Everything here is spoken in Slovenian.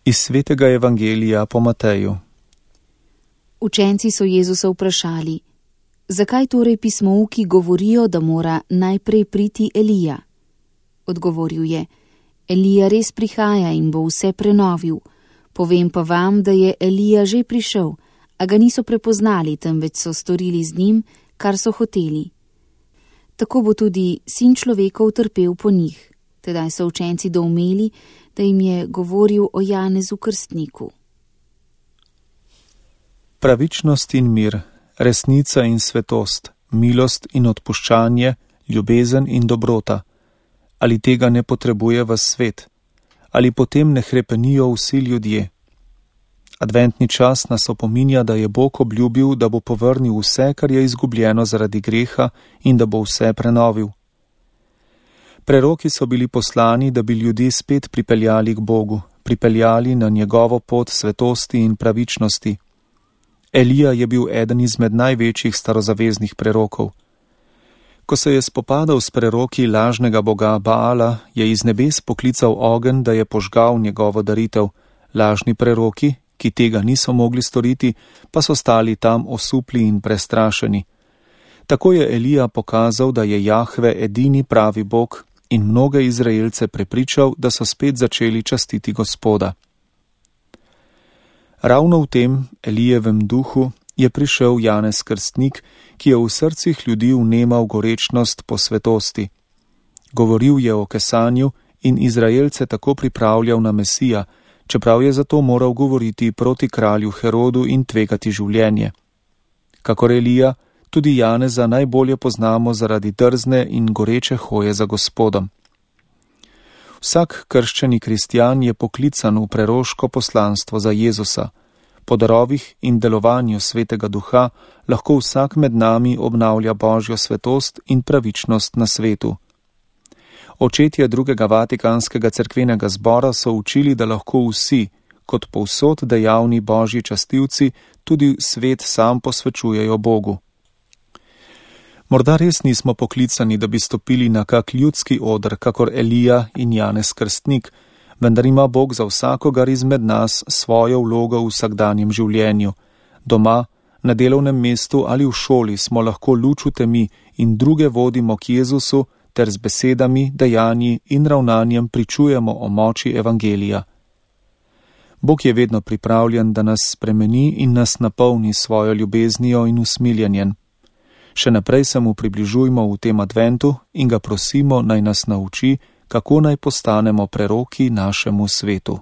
Iz svetega evangelija po Mateju. Učenci so Jezusa vprašali: zakaj torej pismouki govorijo, da mora najprej priti Elija? Odgovoril je: Elija res prihaja in bo vse prenovil. Povem pa vam, da je Elija že prišel, a ga niso prepoznali, temveč so storili z njim, kar so hoteli. Tako bo tudi Sin človekov trpel po njih. Tedaj so učenci doumeli, da jim je govoril o Janezu Krstniku. Pravičnost in mir, resnica in svetost, milost in odpuščanje, ljubezen in dobrota. Ali tega ne potrebuje vas svet? Ali potem ne hrepenijo vsi ljudje? Adventni čas nas opominja, da je Bog obljubil, da bo povrnil vse, kar je izgubljeno zaradi greha, in da bo vse prenovil. Preroki so bili poslani, da bi ljudi spet pripeljali k Bogu, pripeljali na njegovo pot svetosti in pravičnosti. Elija je bil eden izmed največjih starozaveznih prerokov. Ko se je spopadal s preroki lažnega boga Baala, je iz nebes poklical ogenj, da je požgal njegovo daritev. Lažni preroki, ki tega niso mogli storiti, pa so stali tam osupli in prestrašeni. Tako je Elija pokazal, da je Jahve edini pravi Bog, in mnoge Izraelce prepričal, da so spet začeli častiti Gospoda. Ravno v tem Elijevem duhu je prišel Janez Krstnik, ki je v srcih ljudi vnemal gorečnost po svetosti. Govoril je o kesanju in Izraelce tako pripravljal na Mesija, čeprav je zato moral govoriti proti kralju Herodu in tvegati življenje. Kakor Elija, tudi Janeza najbolje poznamo zaradi drzne in goreče hoje za Gospodom. Vsak krščeni kristjan je poklican v preroško poslanstvo za Jezusa. Po darovih in delovanju Svetega Duha lahko vsak med nami obnavlja Božjo svetost in pravičnost na svetu. Očetje drugega Vatikanskega cerkvenega zbora so učili, da lahko vsi, kot povsod dejavni Božji častilci, tudi svet sam posvečujejo Bogu. Morda res nismo poklicani, da bi stopili na kak ljudski oder, kakor Elija in Janez Krstnik, vendar ima Bog za vsakogar izmed nas svojo vlogo v vsakdanjem življenju. Doma, na delovnem mestu ali v šoli smo lahko luč v temi in druge vodimo k Jezusu ter z besedami, dejanji in ravnanjem pričujemo o moči evangelija. Bog je vedno pripravljen, da nas spremeni in nas napolni svojo ljubeznijo in usmiljenjem. Še naprej se mu približujmo v tem adventu in ga prosimo, naj nas nauči, kako naj postanemo preroki našemu svetu.